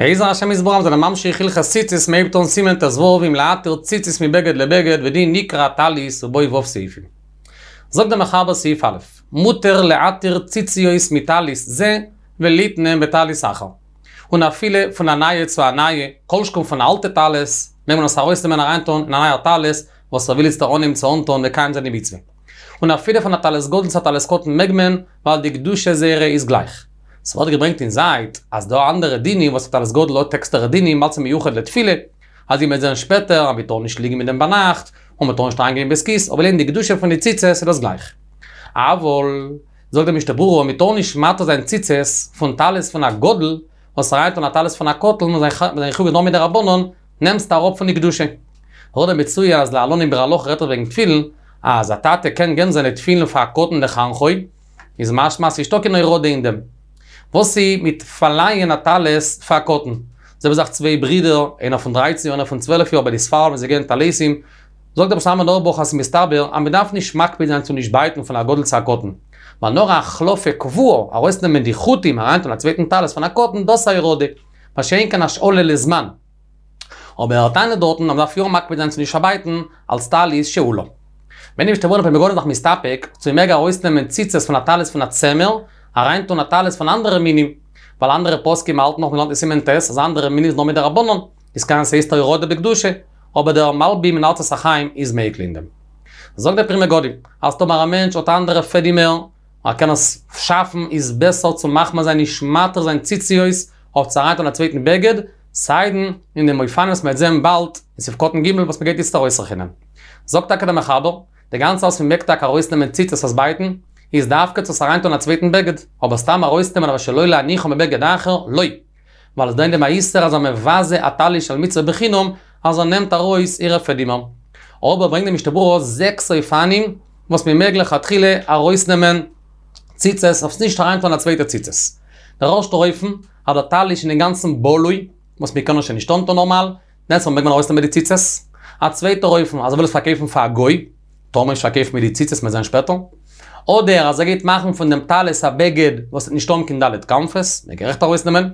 בעזר השם יתברך זענען ממשיך הלכות ציצית מ'הייבט אן סימן ט"ו אם להתיר ציצית מבגד לבגד ודין נקרע טלית ובו ו' סעיפים. זאגט דער מחבר סעיף א', מותר להתיר ציציות מטלית זה וליתנם בטלית אחר. און אפילו פון א נייע צו א נייע, כל שכן פון א אלטע טלית, מעג מען עס ארויסנעמען אריינטון אין א נייער טלית וואס ער וויל איצטער אנהייבן צו אנטון מקיים זיין די מצוה. און אפילו פון א טלית גדול צו א טלית קטן מעג מען, ווייל די קדושה זייערע איז גלייך. ס'ווערט געברענגט אין זייט אז דא אנדערע דינים וואס א טלית גדול האט עקסטערע דינים אלץ מיוחד לתפילה, אזוי מ'וועט זען שפעטער אז מ'טאר נישט ליגן מיט דעם ביינאכט, און מ'טאר נישט אריינגיין אין בית כיס, אבער לענין די קדושה פון די ציצית איז דאס גלייך. אבל, זאגט דער משנה ברורה, מ'טאר נישט מתיר זיין ציצית פון טלית פון א גדול, וואס אריינטון א טלית פון א קטן און זיין חיוב איז נאר מדרבנן, נעמסט אראפ פון די קדושה. נאכדעם מצויין אז להלן אין ביאור הלכה רעדט ער וועגן תפילין, אז א טאטע קען געבן זיינע תפילין פאר א קטן לחנכו, איז משמע אז ס'נישטא קיין הורדה אין דעם. וואס איז מיט פארלייען א טלית פאר א קטן? זיי האבן זיך צוויי ברידער, איינער פון דרייצן יאר איינער פון צוועלף יאר ביי די ספרדים ווען זיי געבן טליתים, זאגט דער ר' שלמה זלמן אויערבאך אז ס'איז מסתבר אז מ'דארף נישט מקפיד זיין צו נישט בייטן פון א גדול צו א קטן, ווייל נאר א החלפה קבועה, ארויסנעמען די חוטים אריינטון א צווייטן טלית פון א קטן, דאס איז א הורדה. מה שאין כן השאלה לזמן. אבער ער טענה'ט דארטן אז מ'דארף יא מקפיד זיין צו נישט פארבייטן אלס טלית שאולה. ברענגט די משנה ברורה פרי מגדים זיך מסתפק צו מ'מעג ארויסנעמען ציצית פון א טלית פון א צמר, אריינטון א טלית פון אנדערע מינים, ווייל אנדערע פוסקים האלטן נאך מ'לערנט אין סימן ט' אז אנדערע מינים איז נאר מדרבנן, איז קען ס'הייסט א הורדה בקדושה, אבער דער מלבי"ם אין ארצות החיים איז מיקל אין דעם. זאגט דער פרי מגדים, אז טאמער א מענטש האט אנדערע פעדימער, ער קען עס שאפן איז בעסער צו מחמיר זיין נישט מתיר זיין ציציות אויף צו אריינטון א צווייטן בגד, סיידן אין דעם אופן וואס מ'וועט זען באלד אין סעיף קטן ג' וואס מ'גייט איצט ארויסרעכענען. זאגט טאקע דער מחבר, די גאנצע וואס מ'מעג טאקע ארויסנעמען ציצית עס בייטן, איז דווקא צו עס אריינטון א צווייטן בגד, אבער סתם ארויסנעמען אבל שלא להניחו בבגד אחר, לא. ווייל עס איז דא אין דעם א איסור אז ער מבזה א טלית של מצוה בחינם אז ער נעמט ארויס אירע פעדימער. אבער ברענגט די משנה ברורה זעקס אופנים וואס מען מעג לכתחילה ארויסנעמען ציצית אויף נישט אריינטון א צווייטע ציצית. דער ערשטער אופן, אז דער טלית איז אינגאנצן בלוי, וואס מען קען עס שוין נישט אנטון נארמאל, דענסטמאל מעג מען ארויסנעמען די ציצית. א צווייטער אופן, אז ער וויל עס פארקויפן פאר א גוי, טאר מען נישט פארקויפן מיט די ציצית מ'וועט זען שפעטער. אדער אז ער גייט מאכן פון דעם טלית א בגד וואס וועט נישט האבן קיין ד' כנפות, מעג ער אויכעט ארויסנעמען.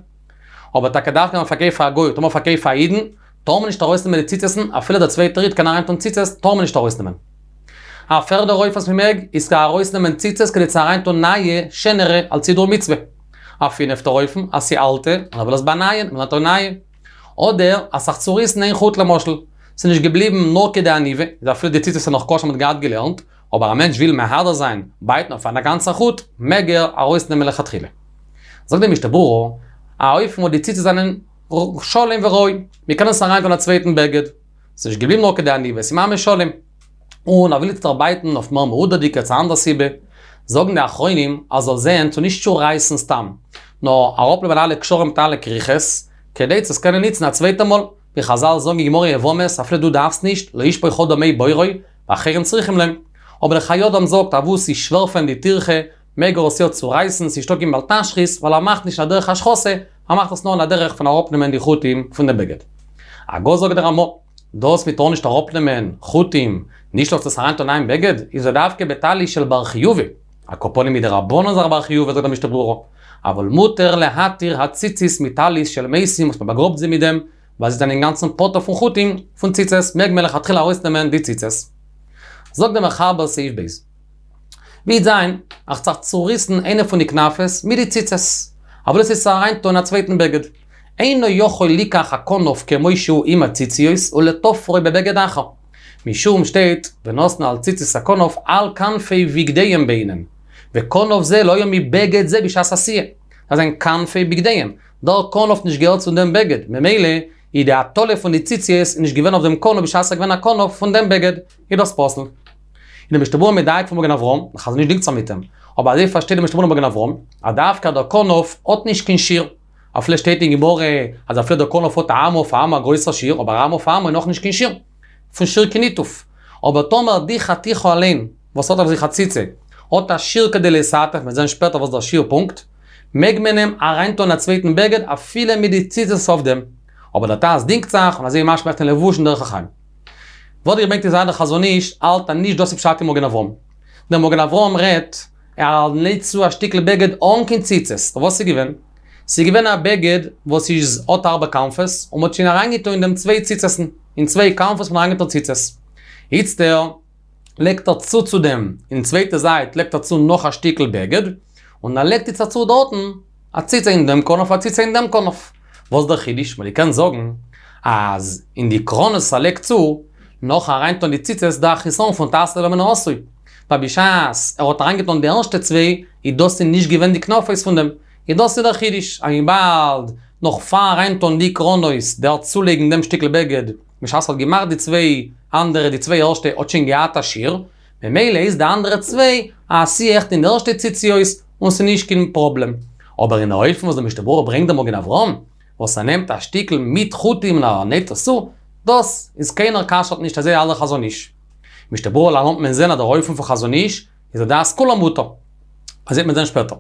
אבער טאקע דווקא ווען מ'פארקויפט פאר א גוי, טאמער מ'פארקויפט פאר א אידן, טאר מען נישט ארויסנעמען די ציצות'ן, אפילו דער צווייטער איד קען אריינטון ציצית, טאר מען נישט ארויסנעמען. א פערדער אופן וואס מ'מעג, איז צו ארויסנעמען ציצית כדי צו אריינטון נייע, שענערע, אלס הידור מצוה. א פינפטער אופן, אז ס'איז אלטע, און ער וויל עס באנייען, מ'לערנט אויף נייע. אדער אז ס'זיך צוריסן איין חוט למשל, ס'איז נישט געבליבן נאר כדי עניבה, איז אפילו די ציצית איז נאך כשר מ'האט געהאט געלערנט, אבער א מענטש וויל מהדר זיין, בייטן אויף א גאנצע חוט, מעג ער ארויסנעמען לכתחילה. זאגט די משנה ברורה, א אופן וואס די ציצית זענען שלם וראוי, מ'קען עס אריינטון א צווייטן בגד, ס'איז נישט געבליבן נאר כדי עניבה, ס'איז ממש שלם. און ער וויל איצטער בייטן אויף מער מהודר'דיגע צו אנדער סיבה, זאגן די אחרונים אז זאל זען צו נישט צורייסן סתם, נאר אראפנעמען אלע קשרים מיט אלע כריכות, כדי צו עס קענען ניצן א צווייטע מאל, ווי חזל זאגן אין גמרא יבמות אפילו דו דארפסט נישט, לא ישפוך אדם מי בורו, ואחרים צריכים להם. אבער דער חיי אדם זאגט אז וואו ס'איז שווער פאר אים די טירחה, מעג ער עס יא צורייסן, ס'נישטא קיין בל תשחית, ווייל ער מאכט נישט א דרך השחתה, ער מאכט עס נאר אין א דרך פון אראפנעמען די חוטים פון דעם בגד. הגה זאגט דער רמא, דאס מ'טאר נישט אראפנעמען חוטים, נישט אויף צו עס אריינטון אין בגד, איז דווקא בטלית של בר חיובא, על כל פנים מדרבנן איז ער א בר חיובא זאגט דער משנה ברורה, אבל מותר להתיר הציצית מטלית של מתים וואס מ'באגראבט זיי מיט דעם, ווייל זיי זענען אינגאנצן פטור פון חוטים פון ציצית, מעג מען לכתחילה ארויסנעמען די ציצית. זאגט דער מחבר סעיף ב'. וועט זיין, אז ס'האט זיך צוריסן איינע פון די כנפות מיט די ציצית. ער וויל עס יעצט אריינטון אין א צווייטן בגד. אינו יכול ליקח הכנף כמו שהוא עם הציציות ולתופרו בבגד אחר. משום שטייט ונתנו על ציצית הכנף על כנפי בגדיהם בעינן. וכנף זה לא היה מבגד זה בשעת עשייה. דאס זענען כנפי בגדיהם. דער כנף נישט געהערט צו דעם בגד, ממילא איז די הטלה פון די ציצית איז נישט געווען אויף דעם כנף בשעת ס'איז געווען א כנף פון דעם בגד, איז דאס פסול. און די משנה ברורה מדייק פון מגן אברהם, דער חזון איש דינגט זיך מיט אים, אבער אזוי פארשטייט די משנה ברורה מגן אברהם, אז דווקא דער כנף האט נישט קיין שיעור. אפילו שטייט אין גמרא אז אפילו דער כנף האט א אמה אויף א אמה א גרויסער שיעור, אבער א אמה אויף א אמה איז נאכנישט קיין שיעור. פון שיעור כניתוף. אבער טאמער די חתיכה אליין, וואס האט אויף זיך א ציצה, האט א שיעור כדי להתעטף, מ'וועט זען שפעטער וואס דער שיעור פונקט, מעג מען אים אריינטון א צווייטן בגד אפילו מיט די ציצית אויף דעם. אבער דער ט"ז דינגט זיך, און אזוי משמע אין לבוש און דרך החיים. ווערט געברענגט אין זייט דער חזון איש האלט אז נישט דאס איז פשט אין מגן אברהם. דער מגן אברהם רעדט, ער נייט צו א שטיקל בגד אן קיין ציצית, וואס איז געווען? ס'איז געווען א בגד וואס איז האט ארבע כנפות, און מ'האט שוין אריינגעטון אין דעם צוויי ציצת'ן, אין צוויי כנפות האט מען אריינגעטון ציצית. איצטער לייגט ער צו צו דעם, אין צווייטע זייט לייגט ער צו נאך א שטיקל בגד, און ער לייגט איצטער צו דארטן א ציצה אין דעם כנף א ציצה אין דעם כנף. וואס דער חידוש? מ'וואלט געקענט זאגן אז אין די קרנות וואס ער לייגט צו, נאכן אריינטון די ציצית איז דא א חיסרון פון תעשה ולא מן העשוי. ווייל בשעת ער האט אריינגעטון די ערשטע צוויי, איז דאס איז נישט געווען די כנפות פון דעם. איז דאס איז דער חידוש, אז וויבאלד נאך פאר אריינטון די קרנות, דער צולייגן דעם שטיקל בגד, בשעת ער האט געמאכט די צוויי אנדערע, די צוויי ערשטע האט שוין געהאט א שיעור, ממילא איז די אנדערע צוויי א עשיה אויכעט אין די ערשטע ציציות און ס'איז נישט קיין פראבלעם. אבער אין א אופן וואס דער משנה ברורה ברענגט דער מגן אברהם, וואס ער נעמט א שטיקל מיט חוטים און ער נייט עס צו, דאס איז קיינער כשר'ט נישט אזוי האלט דער חזון איש. משנה ברורה להלן וועט מען זען אז דער אופן פון חזון איש איז לדעת כולם מותר. אזוי וועט מען זען שפעטער.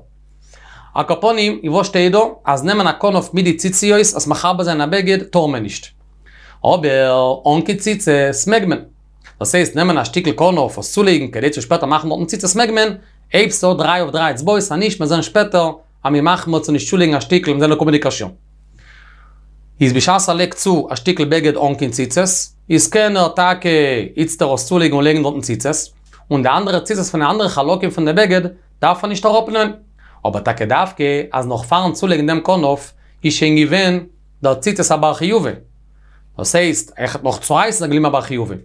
על כל פנים, איז וואס שטייט דא? אז נעמען א כנף מיט די ציציות עס מחבר זיין א בגד טאר מען נישט. אבער אן קיין ציצית מעג מען. דאס הייסט נעמען א שטיקל כנף עס צולייגן כדי צו שפעטער מאכן דארטן ציצית מעג מען, אויב ס'האט דריי אויף דריי אצבעות אז נישט מיר זען שפעטער אז מ'איז מחמיר צו נישט צולייגן א שטיקל מיר זען אין קומענדיגע שיעור. איז בשעת ער לייגט צו א שטיקל בגד אן קיין ציצית, איז קען ער טאקע איצטער עס צולייגן און לייגן דארטן ציצית, און די אנדערע ציצית פון די אנדערע חלקים פון די בגד דארף ער נישט אראפנעמען. אבער טאקע דווקא אז נאך פארן צולייגן דעם כנף איז שוין געווען דער ציצית א בר חיובא. דאס הייסט, אויכעט נאך צורייסן איז געבליבן א בר חיובא.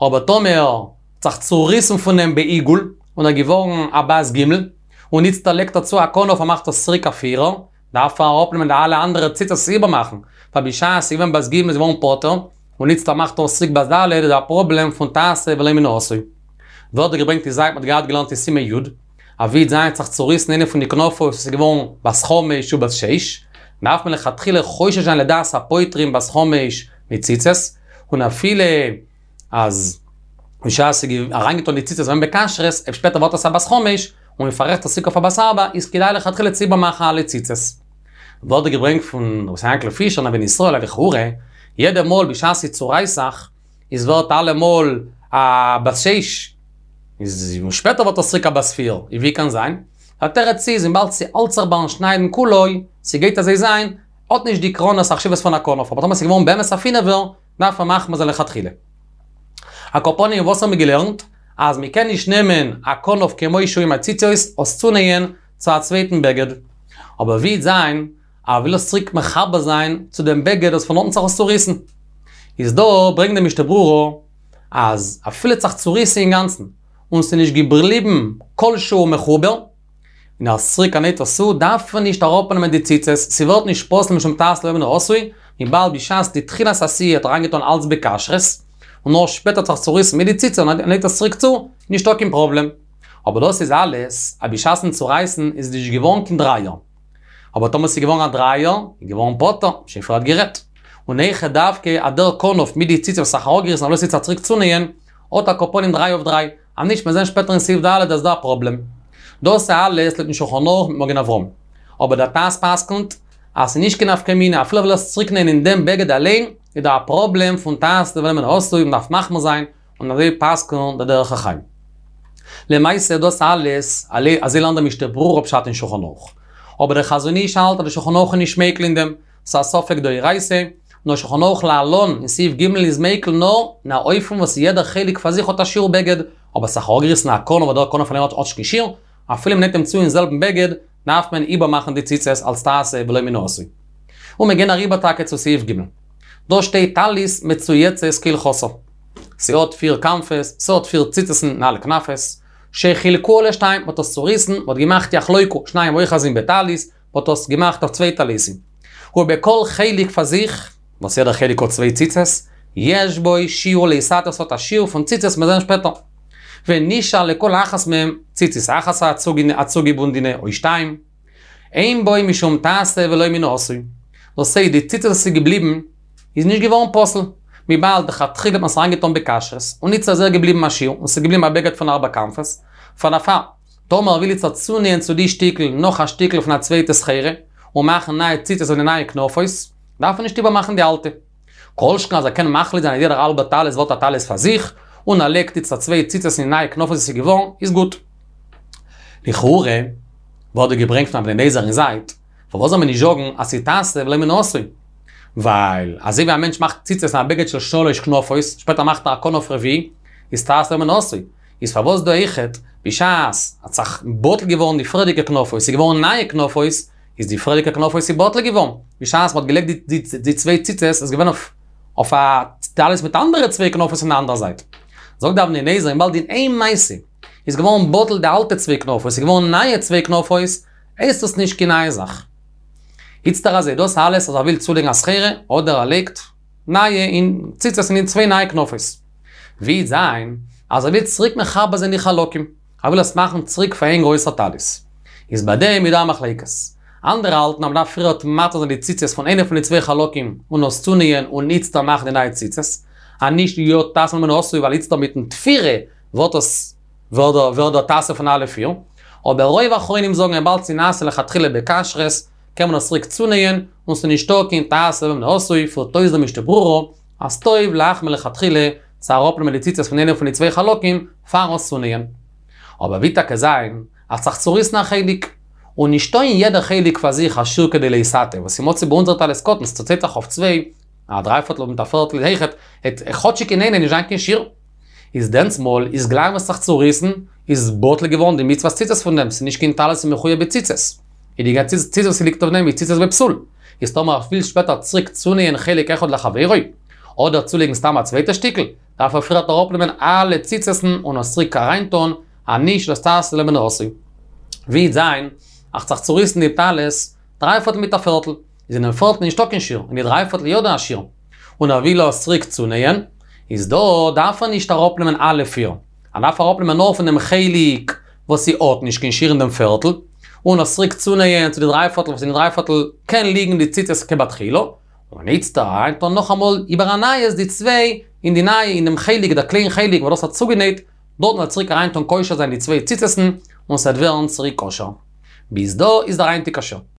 אבער טאמער האט זיך צוריסן פון אים בעיגול, און ער געווארן א בת ג', און איצטער לייגט ער צו א כנף און מאכט עס צוריק א פירער, דארף ער אראפנעמען די אלע אנדערע ציצית איבערמאכן, ווייל בשעת ס'איז געווען בת ג' איז געווארן פטור, און איצטער מאכט ער עס צוריק בת ד' איז דא א פראבלעם פון תעשה ולא מן העשוי. ווערט דא געברענגט די זייט מ'האט געהאט געלערנט אין סימן י', אז ווי זיין האט זיך צוריסן איינע פון די כנפות וואס איז געווארן בת חמש ובת שש, דארף מען לכתחילה חושש זיין לדעת הפוטרים בת חמש מיט ציצית, און אפילו אז בשעת ס'איז אריינגעטון די ציצית ווען בכשרות, אויב שפעטער ווערט עס א בת חמש, און מ'פאררעכט עס צוריק אויף א בת ארבע, איז כדאי לכתחילה צו איבערמאכן אלע ציצית. ווערט דא געברענגט פון ר' יענקל פישער אין אבן ישראל אז לכאורה, יעדע מאל בשעת ס'צורייסט זיך, איז ווערט אלעמאל א בת שש, איז און שפעטער ווערט עס צוריק א בת פיר, איז ווי קען זיין? דער תירוץ איז וויבאלד ס'האלט זיך ביים שניידן כולו, ס'גייט אזוי זיין, האט נישט די קרנות א חשיבות פון א כנף, אבער טאמער ס'איז געווארן באמת א פינעווער, דארף מען מחמיר זיין לכתחילה. על כל פנים וואס האבן מיר געלערנט? אז מ'קען נישט נעמען א כנף כמו שהוא עם הציציות עס צונייען צו א צווייטן בגד. אבער ווי וועט זיין אז ער וויל עס צוריק מחבר זיין צו דעם בגד וואס פון אונטן האט זיך עס צוריסן. איז דא ברענגט די משנה ברורה אז אפילו האט זיך צוריסן אינגאנצן און ס'איז נישט געבליבן כל שהוא מחובר, און אז צוריק ער נייט עס צו דארף מען נישט אראפנעמען די ציצית, ס'ווערט נישט פסול משום תעשה ולא מן העשוי, וויבאלד בשעת די תחילת עשייה האט ער אריינגעטון אלץ בכשרות, און נאר שפעטער האט זיך צוריסן מיט די ציצית און ער נייט עס צוריק צו, נישטא קיין פראבלעם. אבער דאס איז אלעס אז בשעת'ן צורייסן איז נישט געווארן קיין דרייער. אבער טאמער ס'איז געווארן א דרייער, איז געווארן פטור, שוין פריערט גערעדט. און אויכעט דווקא אז דער כנף מיט די ציצית וואס האט זיך אראפגעריסן ער וויל עס איצט צוריק צונייען, האט על כל פנים דריי אויף דריי, אז נישט מיר זעהן שפעטער אין סעיף ד' אז דא א פראבלעם. דאס איז אלעס לויטן שולחן ערוך מיט מגן אברהם. אבער דער ט"ז פסק'נט אז ס'איז נישט קיין נפקא מינה אפילו ער וויל עס צוריקנייען אין דעם בגד אליין, איז דא א פראבלעם פון תעשה ולא מן העשוי מ'דארף מחמיר זיין, און אזוי פסק'נט דער דרך החיים. למעשה דאס אלעס, אזוי לערנט דער משנה ברורה פשט אין שולחן ערוך. אבער דער חזון איש האלט אז דער שולחן ערוך איז נישט מיקל אין דעם, ס'איז א ספק דאורייתא, און דער שולחן ערוך להלן אין סעיף ג' איז מיקל נאר אין א אופן וואס יעדער חלק פאר זיך האט א שיעור בגד, אבער ס'זיך אראפגעריסן א כנף אדער דער כנף אליין האט נישט קיין שיעור, אפילו מ'נעט אים צו אין זעלבן בגד, דארף מען איבערמאכן די ציצית אלס תעשה ולא מן העשוי. און מיר גייען אריבער טאקע צו סעיף ג'. דא שטייט טלית מצויצת כהלכתה. ס'האט פיר כנפות, ס'האט פיר ציצת'ן אין אלע כנפות. שחילקוה לשתיים, מ'האט עס צוריסן, מ'האט געמאכט יחלוקו, שניים אוחזין בטלית, מ'האט עס געמאכט אויף צוויי טליתים. ובכל חלק פאר זיך, וואס יעדער חלק האט צוויי ציצית, יש בו שיעור להתעטף ס'האט א שיעור פון ציצית מיר זעען שפעטער. ונשאר לכל אחת מהם ציצית אחת א צוגעבונדענע או שתיים. אין בו משום תעשה ולא מן העשוי. דאס הייסט די ציצית וואס איז געבליבן איז נישט געווארן פסול, וויבאלד לכתחילה האט מען עס אריינגעטאן בכשרות, און איצט איז ער געבליבן א שיעור, און ס'איז געבליבן א בגד פון ארבע כנפות, פאר דערפאר, טאמער ער וויל איצט צונייען צו די שטיקל נאך א שטיקל פון א צווייטע סחורה, און מאכן נייע ציצית און די נייע כנפות, דארף ער נישט איבערמאכן די אלטע. כל שכן אז ער קען מחליט זיין אז יעדער האלבער טלית ווערט א טלית פאר זיך, און ער לייגט איצט צוויי ציצית אין נייע כנפות וואס איז געווארן, איז גוט. לכאורה, ווערט דא געברענגט פון אבני נזר אין זייט, פארוואס זאל מען נישט זאגן אז ס'איז תעשה ולא מן העשוי? ווייל אזוי ווי א מענטש מאכט ציצית אין א בגד של שלש כנפות, שפעטער מאכט ער א כנף רביעי, איז תעשה ולא מן העשוי. איז פארוואס דא אויכעט, בשעת האט זיך בטל געווארן די פריערדיגע כנפות, ס'איז געווארן נייע כנפות, איז די פריערדיגע כנפות איז בטל געווארן, בשעת מ'האט געלייגט די צוויי ציצית איז געווען אויף א טלית מיט אנדערע צוויי כנפות אין די אנדערע זייט. זאגט די אבני נזר וויבאלד אין איין מעשה איז געווארן בטל די אלטע צוויי כנפות, ס'איז געווארן נייע צוויי כנפות, הייסט עס נישט קיין נייע זאך. איצטער אזוי דאס אלעס אז ער וויל צולייגן א סחורה, אדער ער לייגט נייע אין ציצית אין צוויי נייע כנפות. ווי וועט זיין אז ער וויל צוריק מחבר זיין די חלקים, ער וויל עס מאכן צוריק פאר איין גרויסער טלית. איז ביי דעם איז דא א מחלוקת. אנדערע האלטן אז מ'דארף פריערט מתיר זיין די ציצית פון איינע פון די צוויי חלקים און עס צונייען און איצטער מאכן די נייע ציצית. אז נישט יא תעשה ולא מן העשוי ווייל איצטער מיטן תפירה ווערט עס ווערט דער תעשה פון אלע פיר. אבער רוב אחרונים זאגן וויבאלד ס'איז נעשה לכתחילה בכשרות קען מען עס צוריק צונייען און ס'איז נישטא קיין תעשה ולא מן העשוי פירט אויס דער משנה ברורה אז טוב להחמיר לכתחילה צו אראפנעמען די ציצית פון איינע פון די צוויי חלקים פאר עס צונייען. אבער ווי טאקע זיין אז ס'האט זיך צוריסן א חלק, און נישטא אין יעדע חלק פאר זיך א שיעור כדי להתעטף, וואס איז מצוי ביי אונזער טלית קטן, ס'צוטיילט זיך אויף צוויי, א דרייפערטל מיט א פערטל אויכעט, העט כאטשיג אין איינע נישט זיין קיין שיעור. איז דענסמאל איז גלייך וואס ס'האט זיך צוריסן, איז בטל געווארן די מצוות ציצית פון דעם, ס'איז נישט קיין טלית מחויב בציצית. איז די גאנצע ציצית וואס ס'ליגט אויף דעם איז ציצית בפסול. איז טאמער ער וויל שפעטער צוריק צונייען חלק אחד לחבירו, אדער צולייגן סתם א צווייטע שטיקל, דארף ער פריערט אראפנעמען אלע ציצות'ן און עס צוריק אריינטון, אז נישט דאס תעשה ולא מן העשוי. ווי וועט זיין, אז ס'האט זיך צוריסן די טלית, דריי פערטל מיט א פערטל, איז אינעם פערטל נישטא קיין שיעור, אין די דריי פערטל יא דא א שיעור. און ער וויל עס צוריק צונייען, איז דא דארף ער נישט אראפנעמען אלע פיר, ער דארף אראפנעמען נאר פון דעם חלק וואס ס'האט נישט קיין שיעור אין דעם פערטל, און עס צוריק צונייען צו די דריי פערטל וואס אין די דריי פערטל קען ליגן די ציצית כבתחילה, און איצטער אריינטון נאכאמאל איבער א נייעס די צוויי אין די נייע אין דעם חלק דער קליין חלק וואס דאס האט צוגענייט, דארטן וועט צוריק אריינטון קושר זיין די צוויי ציצות'ן און ס'וועט ווערן צוריק כשר. ביז דא איז דער היינטיגער שיעור.